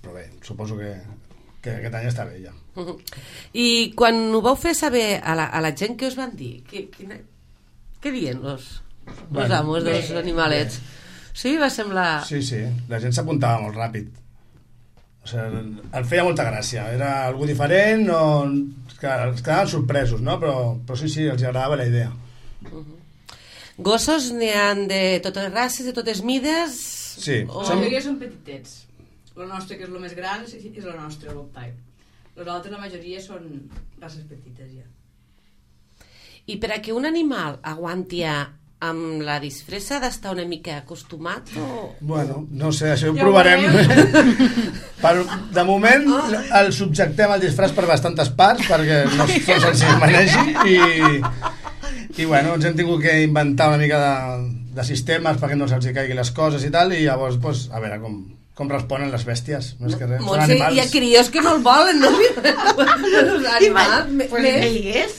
però bé, suposo que aquest any està bé ja. I quan ho vau fer saber a la gent, què us van dir? Què diuen los amos dels animalets? Sí, va semblar... Sí, la gent s'apuntava molt ràpid. O sigui, el feia molta gràcia. Era algú diferent, es quedaven sorpresos, no? Però sí, els agradava la idea. Gossos n'hi ha de totes races, de totes mides? Sí. La majoria són petitets. El nostre, que és el més gran, és el nostre, el Bobtail. Els altres, la majoria, són races petites, ja. I per a que un animal aguanti amb la disfressa ha d'estar una mica acostumat? Bueno, no sé, això ho provarem. De moment el subjectem al disfraç per bastantes parts perquè no són senzill manegi i bueno, ens hem tingut que inventar una mica de sistemes perquè no se'ls caigui les coses i tal, i llavors pues, a veure com responen les bèsties, no és que res, són animals. Hi ha crios que no el volen, no? Els animals Pues ell és.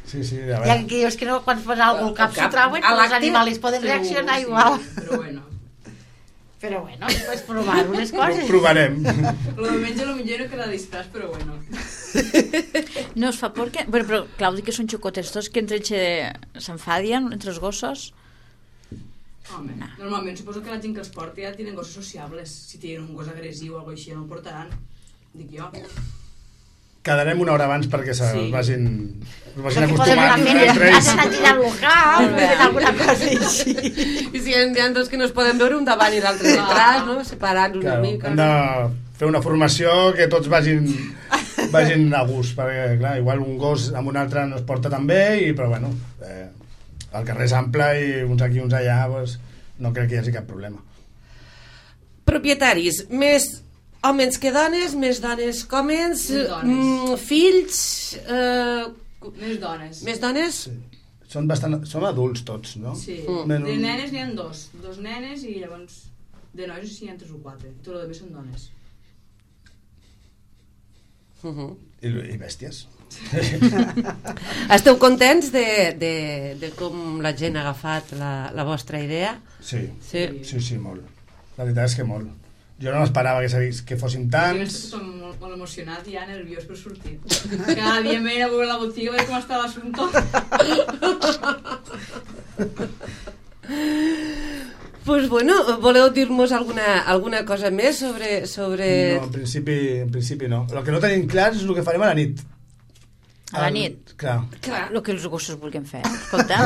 Sí, a Hi ha veure. crios que no, quan fan alguna cosa al cap s'ho trauen, però els animals poden reaccionar igual. Però bueno, pues provar unes coses. Ho provarem. Lo de menja potser no queda disfràs, però bueno. No es fa por que... Bueno, però Claudi, que són xocotes tots, que entre s'enfadien entre els gossos. Home, normalment suposo que la gent que els porta ja tenen gossos sociables. Si tenen un gos agressiu o alguna cosa així, no el portaran. Dic jo. Quedarem una hora abans perquè Sí. vagin Perquè poden acostumant anar fent, entre ells. has anat tirant local, fent alguna cosa així. I si hi ha dos que no es poden veure, un davant i l'altre detrás, no? Separant una Claro, mica. hem de fer una formació que tots vagin a gust, perquè clar, igual un gos amb un altre no es porta tan bé, però bueno, el carrer és ample i uns aquí uns allà, pues, no crec que hi hagi cap problema. Propietaris, més homes que dones, més dones que homes, Més dones. fills... Més dones. Més dones? Sí. Són adults tots, no? Sí. Menys- De nenes n'hi ha dos nenes i llavors de nois no sé si n'hi ha 3 o 4. Tot el que són dones. I bèsties. Esteu contents de com la gent ha agafat la vostra idea? Sí, Sí. molt. La veritat és que molt. Jo no m'esperava que fossin Jo tants. estic molt emocionat i ja nerviós per sortir. Cada dia m'he a veure la botiga a veure com està l'assumpte. Pues bueno, voleu dir-nos alguna cosa més sobre... No, en principi no. El que no tenim clar és el que farem a la nit. A la nit? Clar. Clar. El que els gossos vulguin fer. Escolta,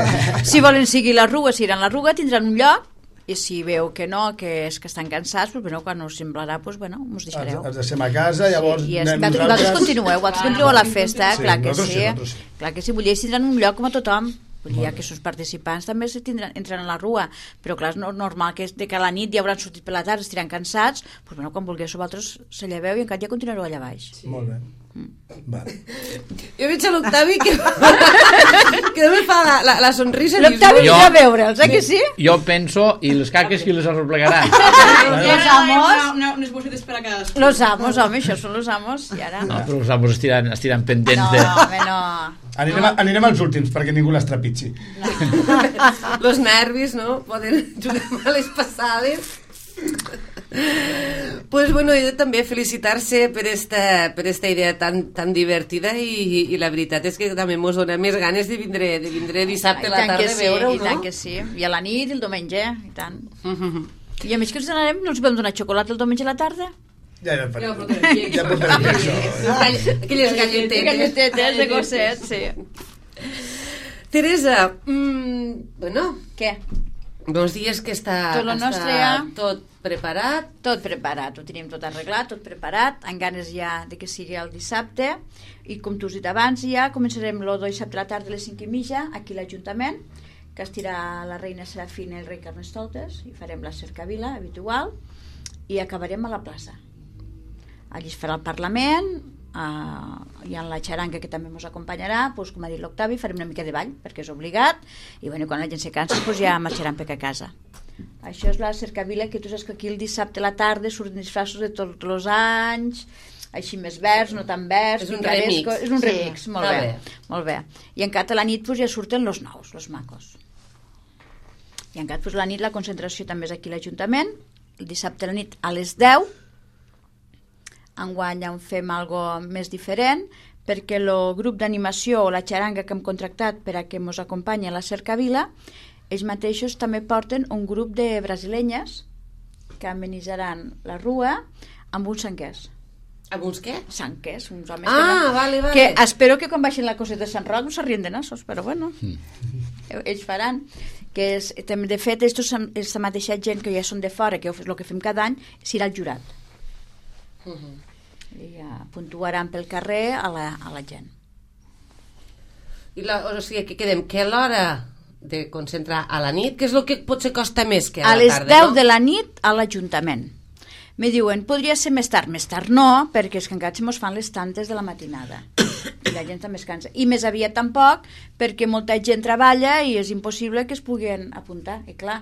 si volen seguir la ruga, si iran a la ruga, tindran un lloc, i si veu que no, que és que estan cansats, doncs, bueno, quan us semblarà, doncs, bueno, us deixareu. Els deixem a casa, llavors I anem vosaltres continueu, vosaltres continueu a la festa, Sí, clar que nosaltres sí. Clar que sí, vull dir, tindran un lloc com a tothom. Vull dir, que els participants també entren a la rua, però clar, és normal que de que a la nit ja hauran sortit per la tarda, estiran cansats, doncs bueno, quan vulgueu vosaltres se lleveu i encara ja continuareu allà baix. Sí. Molt bé. Vale. Jo veig a l'Octavi que només fa la sonrisa. L'Octavi Jo- vindrà a veure'ls, que sí? Jo penso, i les caques qui les arreplegaran? Los amos, Unes bossetes per a cadascú. los amos, home, això són los amos, i ara... No, però els amos estiran pendents No, de... home, no. Anirem als últims perquè ningú les trepitgi. Los nervis, no? Poden jugar males passades. Pues bueno, jo també felicitar-se per esta idea tan divertida i la veritat és que també mos dona més ganes de vindre dissabte a la tarda a veure-ho, I tant no? que sí, i a la nit, el diumenge, i tant. I a més que ens anarem, no els podem donar xocolata el diumenge a la tarda? Ja Ja portarem portarem això. Aquelles galletetes. Galletetes de gosset, sí. Teresa, bueno, Què? bons dies que està Tot lo nostre ja. tot preparat. Tot preparat, ho tenim tot arreglat, tot preparat, amb ganes ja de que sigui el dissabte, i com tu has dit abans ja, començarem el dissabte a la tarda a les 5:30 aquí a l'Ajuntament, que estirà la reina Serafina i el rei Carnestoltes, i farem la cercavila habitual, i acabarem a la plaça. Allí es farà el Parlament, hi ha la xaranga que també ens acompanyarà, doncs, com ha dit l'Octavi, farem una mica de ball perquè és obligat, i bueno, quan la gent se cansa doncs ja marxaran per a casa. Això és la cercavila, que tu saps que aquí el dissabte a la tarda surten disfraços de tots els anys, així més verds, no tan verds, és un remix, és un remix, sí, molt bé. I encara a la nit doncs, ja surten els nous, els macos. I encara doncs, a la nit la concentració també és aquí a l'Ajuntament, el dissabte a la nit a les 10. Enguany en fem algo més diferent, perquè el grup d'animació o la xaranga que hem contractat per a que ens acompanyi a la cercavila, ells mateixos també porten un grup de brasilenyes que amenisaran la rua amb uns sanquers. Amb uns què? Sanquers, uns homes vale. que espero que quan baixin la cosa de Sant Roc no s'arrien de nassos, però bueno, ells faran. Que és, de fet, és la mateixa gent que ja són de fora, que el que fem cada any, serà el jurat. I ja puntuaran pel carrer a la gent. O sigui, que quedem que a l'hora de concentrar a la nit, que és el que potser costa més que a la les tarda, 10 de la nit a l'Ajuntament. Me diuen, podria ser més tard no, perquè és que encara se mos fan les tantes de la matinada i la gent també es cansa, i més aviat tampoc perquè molta gent treballa i és impossible que es puguin apuntar, i clar,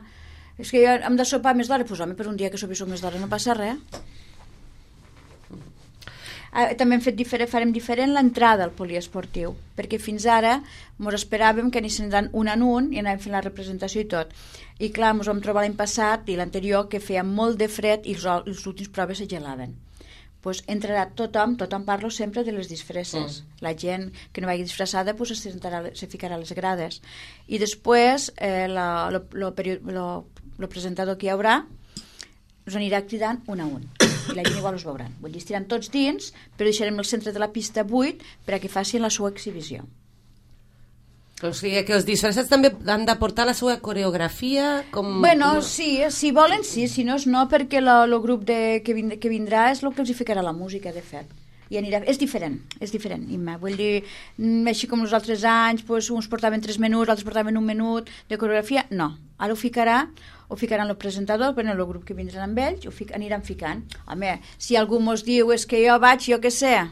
és que jo hem de sopar més d'hora, doncs home, per un dia que sopi més d'hora no passa res. També farem diferent l'entrada al poliesportiu, perquè fins ara ens esperàvem que anessin un en un i anàvem fent la representació i tot, i clar, ens vam trobar l'any passat i l'anterior que feia molt de fred i les últimes proves es gelaven. Pues entrarà tothom parlo sempre de les disfresses, la gent que no vagi disfressada pues se ficarà a les grades, i després el presentador que hi haurà us anirà cridant un a un i la gent igual us veuran. Vull dir, estiran tots dins, però deixarem el centre de la pista buit per a que facin la seva exhibició. O sigui que els disfressats també han de portar la seva coreografia? Sí, si volen sí, si no és no, perquè el grup que vindrà és el que els hi ficarà la música, de fet. I és diferent, Imma. Vull dir, així com els altres anys, doncs, uns portaven 3 minuts, altres portaven 1 minut de coreografia, no. Ara ho ficaran el presentador, però el grup que vindran amb ells, aniran ficant. Home, si algú mos diu és que jo vaig, jo què sé,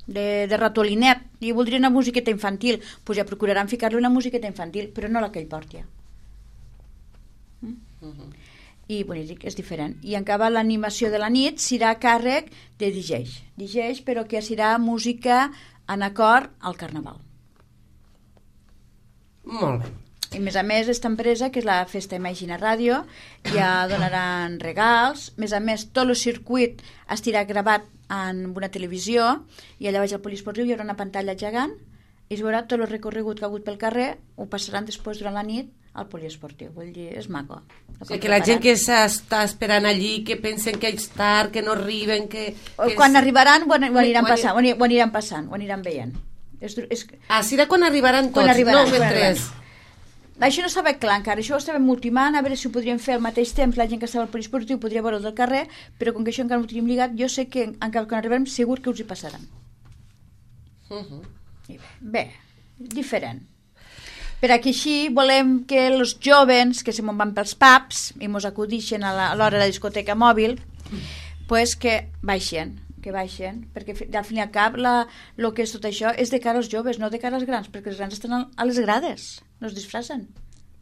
de ratolinet, i voldria una musiqueta infantil, doncs ja procuraran ficar-li una musiqueta infantil, però no la que ell porti. I és diferent. I encara l'animació de la nit serà a càrrec de DJs, però que serà música en acord al Carnaval. Molt bé. I a més, aquesta empresa, que és la Festa Imagina Ràdio, ja donaran regals. A més, tot el circuit estarà gravat en una televisió i allà baix al poliesportiu hi haurà una pantalla gegant i es veurà tot el recorregut que ha hagut pel carrer, ho passaran després durant la nit al poliesportiu. Vull dir, és maco. O sigui, que la gent que s'està esperant allí, que pensen que és tard, que no arriben, que quan arribaran ho aniran passant, ho aniran veient. Serà quan arribaran tots, no mentre... Això no estava clar encara, això ho estàvem ultimant, a veure si ho podríem fer al mateix temps, la gent que estava al poliesportiu podria veure del carrer, però com que això encara no ho tenim lligat, jo sé que encara quan arribarem segur que us hi passaran. Bé, diferent. Per aquí així volem que els joves que se me'n van pels pubs i mos acudixen a l'hora de la discoteca mòbil, pues que baixen, perquè al fin i al cap el que és tot això és de cara als joves, no de cara als grans, perquè els grans estan a les grades, no es disfressen.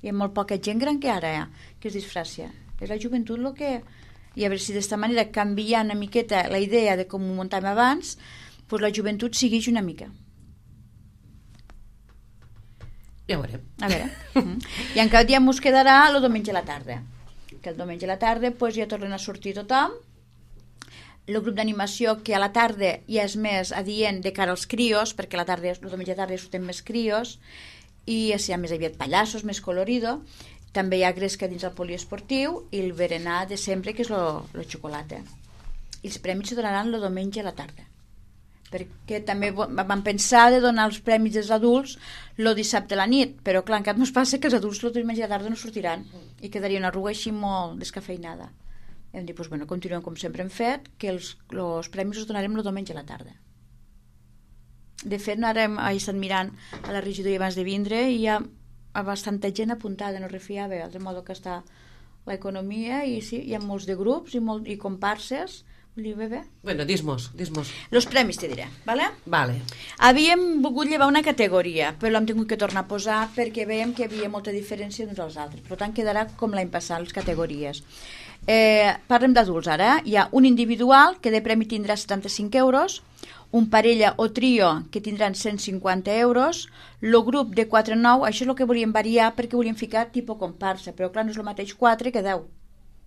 Hi ha molt poca gent gran que ara que es disfressa. És la joventut el que... I a veure si d'esta manera, canviant una miqueta la idea de com ho muntàvem abans, pues la joventut segueix una mica. Ja ho veurem. A veure. I encara dia ens quedarà el diumenge a la tarda. Que el diumenge a la tarda pues, ja tornen a sortir tothom. El grup d'animació que a la tarda ja és més adient de cara als crios, perquè el diumenge a la tarda ja surten més crios, i hi ha més aviat pallassos, més colorido. També hi ha gresca dins el poliesportiu i el berenar de sempre, que és el xocolata. I els premis se donaran el diumenge a la tarda. Perquè també vam pensar de donar els premis dels adults el dissabte a la nit, però clar, encara no es passa que els adults el diumenge a la tarda no sortiran i quedaria una arruga així molt descafeinada. Hem dit, doncs, continuem com sempre hem fet, que els premis els donarem el diumenge a la tarda. De fet, ara he estat mirant a la regidoria abans de vindre i hi ha bastanta gent apuntada, no refiava, de modo que està l'economia i sí, hi ha molts de grups i comparses. Vull dir, bé. Bueno, dis-mos. Los premis te diré, ¿vale? Vale. Havíem volgut llevar una categoria, però l'hem tingut que tornar a posar perquè veiem que hi havia molta diferència d'uns als altres. Per tant, quedarà com l'any passat, les categories. Parlem d'adults ara. Hi ha un individual, que de premi tindrà 75 euros, un parella o trio, que tindran 150 euros, el grup de 4-9, això és el que volíem variar perquè volíem ficar tipus comparsa, però clar, no és el mateix 4 que 10.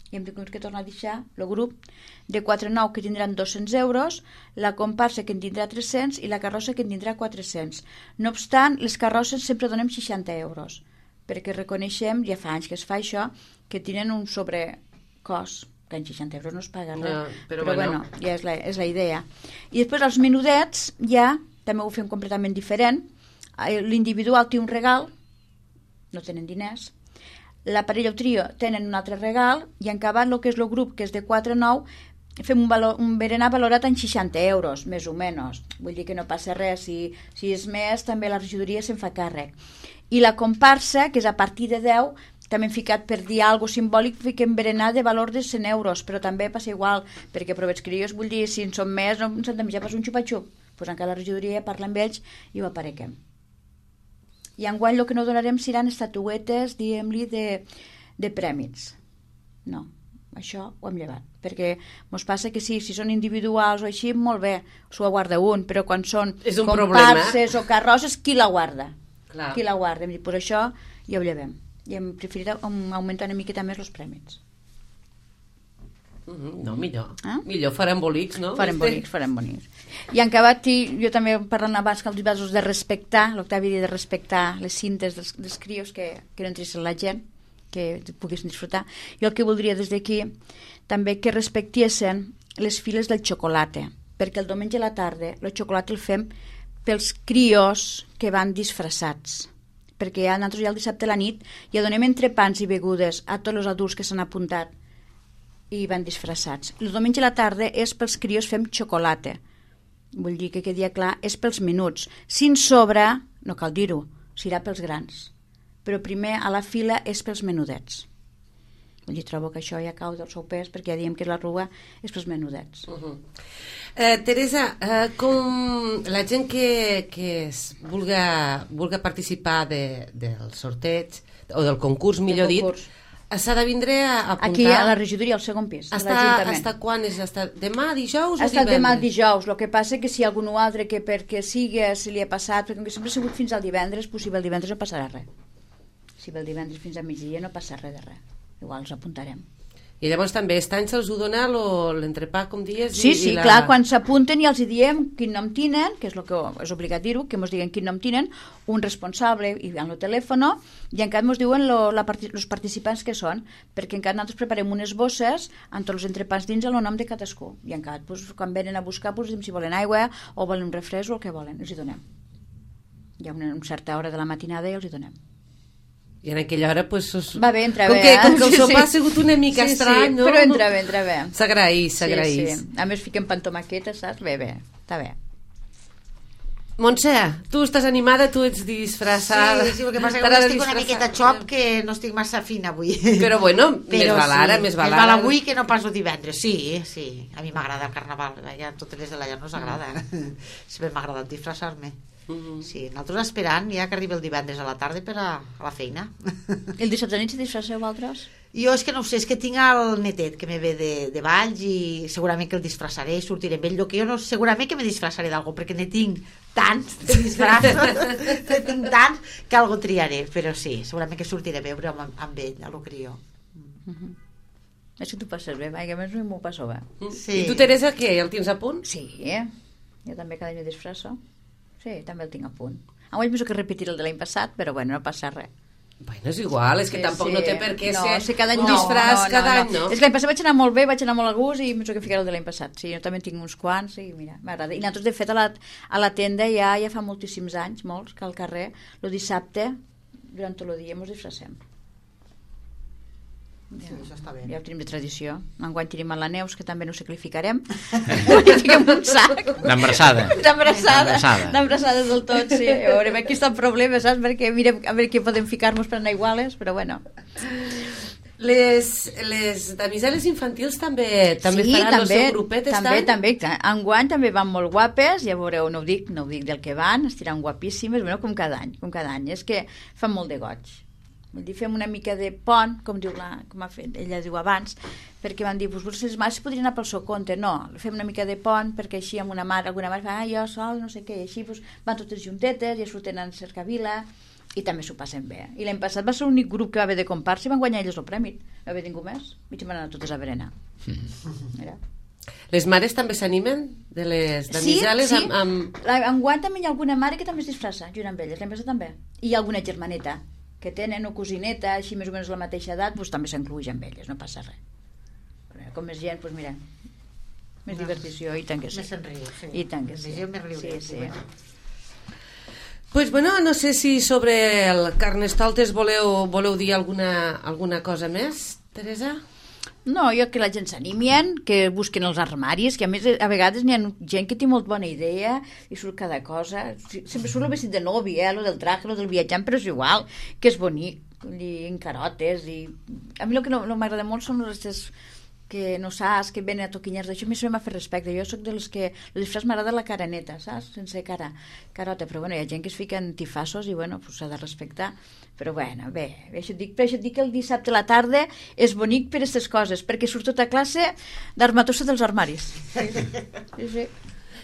I hem tingut que tornar a deixar el grup de 4-9 que tindran 200 euros, la comparsa que en tindrà 300 i la carrossa que en tindrà 400. No obstant, les carrosses sempre donem 60 euros, perquè reconeixem, ja fa anys que es fa això, que tenen un sobrecost, que en 60 euros no es paga res. No, però bueno, ja és la idea. I després els menudets ja també ho fem completament diferent. L'individual té un regal, no tenen diners, la parella o trio tenen un altre regal i en acabat el que és el grup, que és de 4-9, fem un berenar valorat en 60 euros, més o menys. Vull dir que no passa res, si és més també la regidoria se'n fa càrrec. I la comparsa, que és a partir de 10, també hem ficat per dir alguna cosa simbòlic, fiquem berenar de valor de 100 euros, però també passa igual, perquè provets crios, vull dir, si en som més, no ens hem de menjar pas un xupa-xup. Doncs encara la regidoria parla amb ells i ho aparequem. I enguany el que no donarem seran estatuetes, diguem-li, de prèmits. No, això ho hem llevat. Perquè ens passa que sí, si són individuals o així, molt bé, s'ho guarda un, però quan són comparses o carrosses, qui la guarda? Clar. Qui la guarda? Hem dit, per això ja ho llevem. I hem preferit augmentar una miqueta més els prèmits. No, millor. Millor farem bolics, no? Farem bonics. I en acabat, jo també parlant abans que els vasos de respectar, l'Octavi de respectar les cintes dels crios que no entressin la gent, que poguessin disfrutar. Jo el que voldria des d'aquí també que respectessin les files del xocolata, perquè el diumenge a la tarda el xocolata el fem pels crios que van disfressats, perquè nosaltres ja el dissabte a la nit ja donem entrepans i begudes a tots els adults que s'han apuntat i van disfressats. El diumenge a la tarda és pels crios fem xocolata. Vull dir que quedi clar, és pels menuts. Si en sobra, no cal dir-ho, serà pels grans. Però primer a la fila és pels menudets. Vull dir, trobo que això ja cau del seu pes, perquè ja diem que la rua és pels menudets. Teresa, com la gent que vulga participar del sorteig o del concurs, millor dit, s'ha de vindre a apuntar... Aquí a la regidoria, al segon pis. Hasta quan és? Hasta demà, dijous o divendres? Hasta demà, dijous. El que passa que si hi ha algun altre que perquè sigui, si li ha passat, perquè sempre ha sigut fins al divendres, doncs si ve el divendres no passarà res. Si ve el divendres fins a migdia no passa res de res. Igual els apuntarem. I llavors també estan se'ls ho dona l'entrepà, com dies? Sí, clar, quan s'apunten i els diem quin nom tenen, que és el que és obligat dir-ho, que ens diguen quin nom tenen, un responsable i en el telèfon, i encara ens diuen els participants que són, perquè encara nosaltres preparem unes bosses amb tots els entrepans dins el nom de cadascú, i encara quan venen a buscar si volen aigua o volen un refresc o el que volen, els hi donem. Hi ha una certa hora de la matinada i els hi donem. I en aquella hora, doncs... Va bé, entra bé. Com que el sopar ha sigut una mica estrany, no? Però entra bé. S'agraïs. Sí. A més, fiquem pantomaqueta, saps? Bé, està bé. Montse, tu estàs animada, tu ets disfressada. Sí, el que passa que estic una miqueta xop, que no estic massa fina avui. Però bueno, més val ara. Més val avui que no pas el divendres. Sí. A mi m'agrada el carnaval. Ja totes les de la llar no us agrada. Sempre m'ha agradat disfressar-me. Sí, nosaltres esperant ja que arribi el divendres a la tarda per a la feina. El dissabte nit si disfresseu vosaltres? Jo és que no ho sé, és que tinc el netet que me ve de Valls i segurament que el disfressaré i sortiré amb ell. El que jo no, segurament que me disfressaré d'algú, perquè ne tinc tants de disfressos, ne tinc tants que algo triaré, però sí, segurament que sortiré a veure amb ell, a lo crió. És que tu passes bé, que a més m'ho passo bé. I tu, Teresa, què? El tens a punt? Sí, jo també cada any disfresso. Sí, també el tinc a punt. Avui penso que repetir el de l'any passat, però bueno, no passa res. Bueno, és igual, és que tampoc no té per què ser cada any disfràs cada any, no? És que l'any passat vaig anar molt bé, vaig anar molt a gust i penso que ficaré el de l'any passat. Sí, jo també tinc uns quants i mira, m'agrada. I nosaltres, de fet, a la tenda ja fa moltíssims anys, molts, que al carrer, el dissabte, durant tot el dia, ens disfressem. Sí, això està bé. Ja ho tenim de tradició. Enguany tenim a la Neus, que també no sé què li ficarem. Perquè fiquem un sac. D'embrassada. D'embrassada del tot, sí. A veure, aquí està el problema, saps? Perquè mirem a veure què podem ficar-nos per anar iguales, però bueno. Les damiseles infantils també faran el seu grupet també. Enguany també van molt guapes, ja veureu, no ho dic del que van, estiran guapíssimes, bueno, com cada any. És que fan molt de goig. Vull dir, fem una mica de pont, com ha fet, ella diu abans, perquè van dir, doncs les mares podrien anar pel seu compte. No, fem una mica de pont, perquè així amb alguna mare fa, jo sol, no sé què, i així van totes juntetes, ja surten a Cercavila, i també s'ho passen bé. I l'any passat va ser l'únic grup que va haver de comparsa i van guanyar elles el premi. No va haver ningú més, i van anar totes a berenar. Mira. Les mares també s'animen de les damiseles? Sí. Enguany també hi ha alguna mare que també es disfressa, junt amb elles, l'any passat també. I hi ha alguna germaneta que tenen, o cosineta, així més o menys la mateixa edat, doncs també s'encluïx amb elles, no passa res. Però com més gent, doncs mira, més divertició, i tant que sí. Més s'enriu, sí. I tant que sí. Més gent, més riure. Sí. Pues bueno, no sé si sobre el Carnestoltes voleu dir alguna cosa més, Teresa? No, jo que la gent s'animien, que busquen els armaris, que a més a vegades n'hi ha gent que té molt bona idea i surt cada cosa. Sempre surt el vestit de nòvia, lo del traje, lo del viatjant, però és igual, que és bonic, en carotes. A mi el que no m'agrada molt són les que no saps, que venen a toquinyers d'això. A mi se m'ha fet respecte. Jo soc de les que el disfraç m'agrada la cara neta, saps? Sense carota. Però bueno, hi ha gent que es fica en tifassos i bueno, s'ha de respectar. Però bueno, bé, per això et dic que el dissabte a la tarda és bonic per aquestes coses, perquè surt tota classe d'armatossa dels armaris. Sí.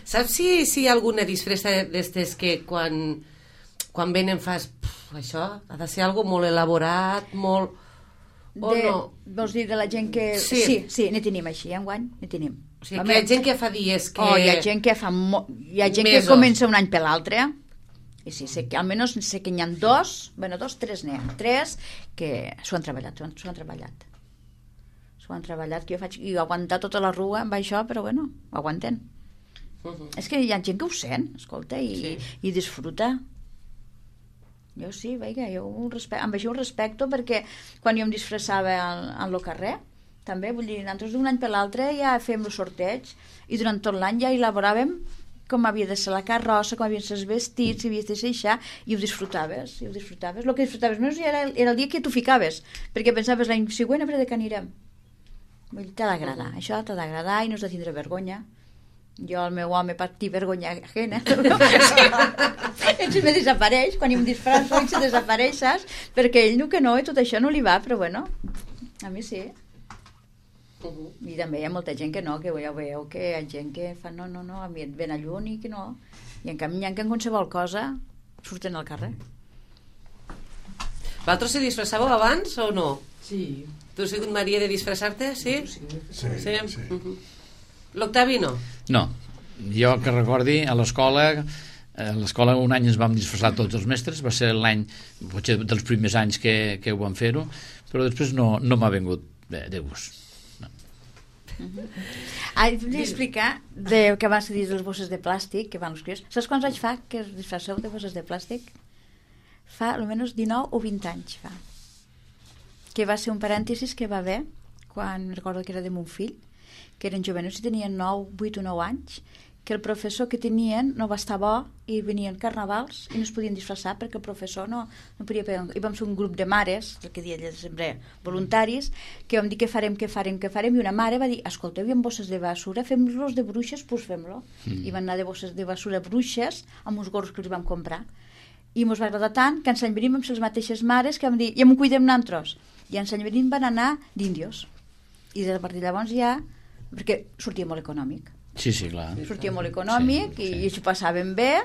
Saps si hi ha alguna disfressa d'estes que quan venen fas això ha de ser algo molt elaborat, molt... no? Vols dir de la gent que... Sí, n'hi tenim així, enguany, n'hi tenim. O sigui, que hi ha gent que fa dies que... hi ha gent que fa... Hi ha gent que comença un any per l'altre. I sí, almenys sé que n'hi ha tres n'hi ha. Tres que s'ho han treballat. Que jo faig... I aguantar tota la rua amb això, però bueno, ho aguanten. És que hi ha gent que ho sent, escolta, i disfruta. Jo sí, veia, amb això ho respecto, perquè quan jo em disfressava al carrer, també, vull dir, nosaltres d'un any per l'altre ja fèiem el sorteig i durant tot l'any ja elaboràvem com havia de ser la carrossa, com havien de ser els vestits, si havies de ser això, i ho disfrutaves. El que disfrutaves més era el dia que tu ficaves, perquè pensaves l'any següent a veure de què anirem. Vull dir, t'ha d'agradar, això t'ha d'agradar i no has de tindre vergonya. Jo, el meu home, per dir vergonya ajena, me desapareix, quan em disfrasso se desapareix, saps? Perquè ell no que no, i tot això no li va, però bueno, a mi sí. I també hi ha molta gent que no, que ja veieu que hi ha gent que fa no, a mi et ven a lluny i que no. I en canvi hi ha que en qualsevol cosa surten al carrer. Vosaltres se disfressàveu abans o no? Sí. Tu has sigut Maria de disfressar-te, sí? Sí. L'Octavi no? No, jo que recordi a l'escola un any ens vam disfressar tots els mestres, va ser l'any potser dels primers anys que ho vam fer-ho, però després no m'ha vingut de gust. Volia explicar que abans de dir les bosses de plàstic que van els crios. Saps quants anys fa que es disfresseu de bosses de plàstic? Fa almenys 19 o 20 anys fa, que va ser un parèntesis que va haver quan recordo que era de mon fill, que eren jovenos i tenien 8 o 9 anys, que el professor que tenien no va estar bo i venien carnavals i no es podien disfressar perquè el professor no podia pegar. I vam ser un grup de mares, el que deia sempre voluntaris, que vam dir què farem, i una mare va dir, escolta, hi ha bosses de basura, fem-los de bruixes, doncs fem-lo. I van anar de bosses de basura bruixes amb uns gorros que els vam comprar. I ens va agradar tant que en Sant Benín vam ser les mateixes mares que vam dir, ja m'ho cuidem nosaltres. I en Sant Benín van anar d'índios. I a partir de llavors ja, perquè sortia molt econòmic. Sí, clar. Sortia molt econòmic i s'ho passaven bé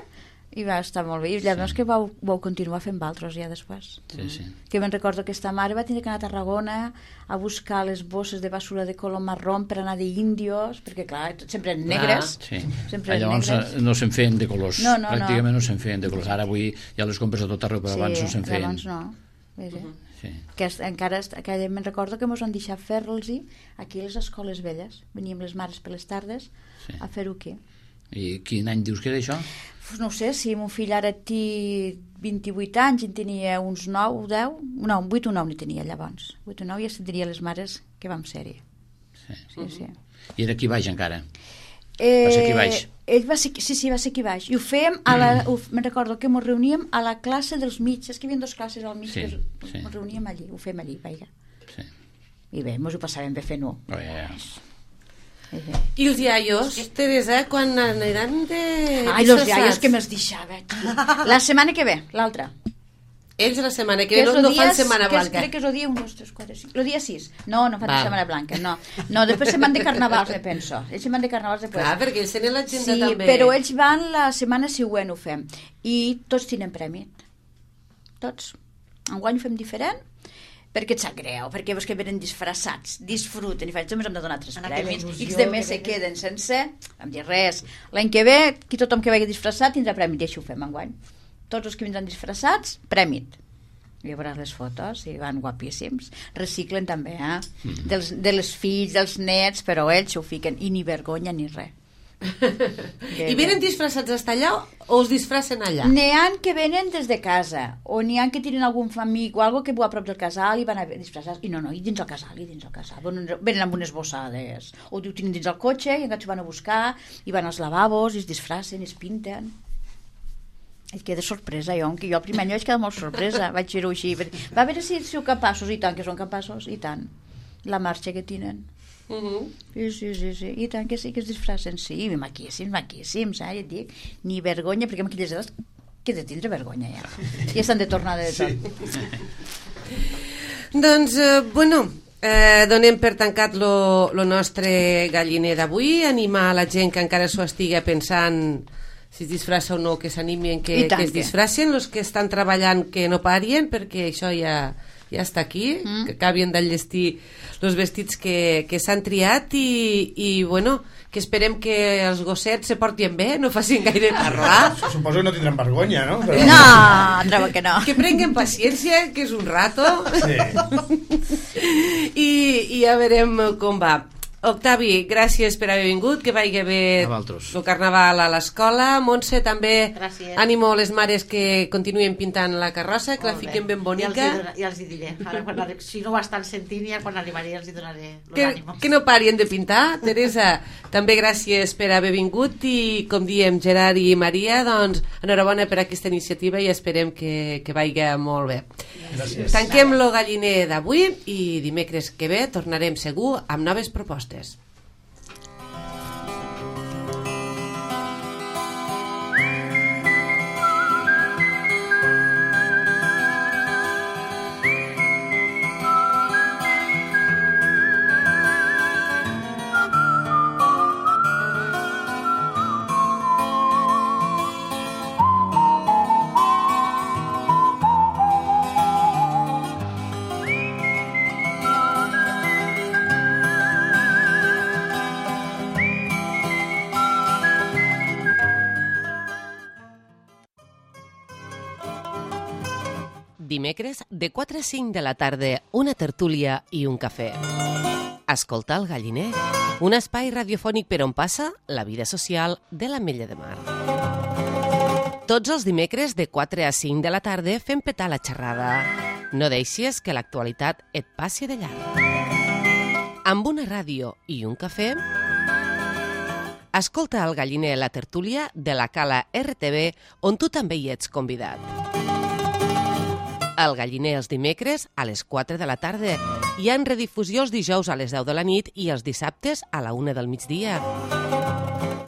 i va estar molt bé. I llavors que vau continuar fent altres ja després. Sí. Que me'n recordo que aquesta mare va tenir que anar a Tarragona a buscar les bosses de basura de color marró per anar d'índios, perquè clar, sempre eren negres. Llavors no se'n feien de colors. Pràcticament no se'n feien de colors. Ara avui ja les compres a tot arreu, però abans no se'n feien. Abans no. Que encara me'n recordo que ens van deixar fer-los aquí a les escoles velles. Veníem les mares per les tardes a fer-ho aquí. I quin any dius que era això? Pues no ho sé, si mon fill ara té 28 anys, en tenia uns 9, 10... No, 8 o 9 n'hi tenia llavors. 8 o 9 ja se'n diria les mares que vam ser-hi. Sí. I era aquí baix encara? Va ser aquí baix? Ell va ser, sí, va ser aquí baix. I ho fèiem, me'n recordo que ens reuníem a la classe dels mitges, que hi havia 2 classes al mig, ens reuníem allí, ho fèiem allí, vaja. Sí. I bé, ens ho passàvem bé fent-ho. I els iaios, Teresa, quan aniran de... Ai, els iaios que me'ls deixava. La setmana que ve, l'altra. Ells la setmana que ve no fan Setmana Blanca. Crec que és el dia 1, 2, 3, 4, 5. El dia 6. No fan Setmana Blanca, no. No, després se'n van de carnavals, me penso. Ells se'n van de carnavals després. Clar, perquè ells tenen l'agenda també. Sí, però ells van la setmana següent, ho fem. I tots tenen premi. Tots. Enguany ho fem diferent, perquè et sap greu, perquè veus que venen disfressats, disfruten, i només hem de donar 3 premis, i els demés se queden sense, no em dir res. L'any que ve, tothom que vagi disfressat tindrà premi, i així ho fem enguany. Tots els que vindran disfressats, prèmit. I veuràs les fotos, i van guapíssims. Reciclen també, de les fills, dels nets, però ells ho fiquen, i ni vergonya ni res. I venen disfressats hasta allà o es disfressen allà? N'hi ha que venen des de casa, o n'hi ha que tenen algun amic o algo que viu a prop del casal i van a disfressats. I no, i dins el casal. Venen amb unes bossades. O ho tenen dins el cotxe i encara s'ho van a buscar, i van als lavabos, i es disfressen, i es pinten. Et queda sorpresa, que jo al primer any vaig quedar molt sorpresa, vaig fer-ho així. Va veure si sou capaços, i tant que són capaços, i tant. La marxa que tenen. Sí, i tant que sí que es disfressen, sí, maquíssims, et dic, ni vergonya, perquè amb aquelles edats que de tindre vergonya ja estan de tornada de tot. Doncs, donem per tancat lo nostre galliner d'avui, animar a la gent que encara s'ho estigui pensant si es disfressa o no, que s'animin, que es disfressen, els que estan treballant que no parien, perquè això ja està aquí, que acabin d'enllestir els vestits que s'han triat i que esperem que els gossets se portin bé, no facin gaire parlar. Suposo que no tindran vergonya, no? Però... No, trobo que no. Que prenguen paciència, que és un rato. Sí. I ja veurem com va. Octavi, gràcies per haver vingut, que vagi bé el carnaval a l'escola. Montse, també ànimo a les mares que continuen pintant la carrossa, que la fiquen ben bonica. Ja els hi diré, ara, si no ho estan sentint, ja quan arribaré els hi donaré l'ànimo. Que no parien de pintar. Teresa, també gràcies per haver vingut i, com diem, Gerard i Maria, doncs enhorabona per aquesta iniciativa i esperem que vagi molt bé. Gràcies. Tanquem lo galliner d'avui i dimecres que ve tornarem segur amb noves propostes. Dimecres, de 4 a 5 de la tarda, una tertúlia i un cafè. Escoltar el galliner, un espai radiofònic per on passa la vida social de l'Ametlla de Mar. Tots els dimecres, de 4 a 5 de la tarda, fem petar la xerrada. No deixis que l'actualitat et passi de llarg. Amb una ràdio i un cafè, escolta el galliner la tertúlia de la Cala RTV, on tu també hi ets convidat. El galliner els dimecres a les 4 de la tarda i en redifusió els dijous a les 10 de la nit i els dissabtes a la 1 del migdia.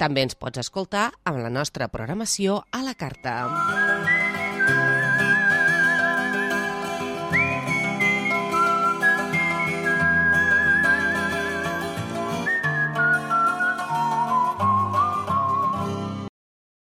També ens pots escoltar amb la nostra programació a la carta.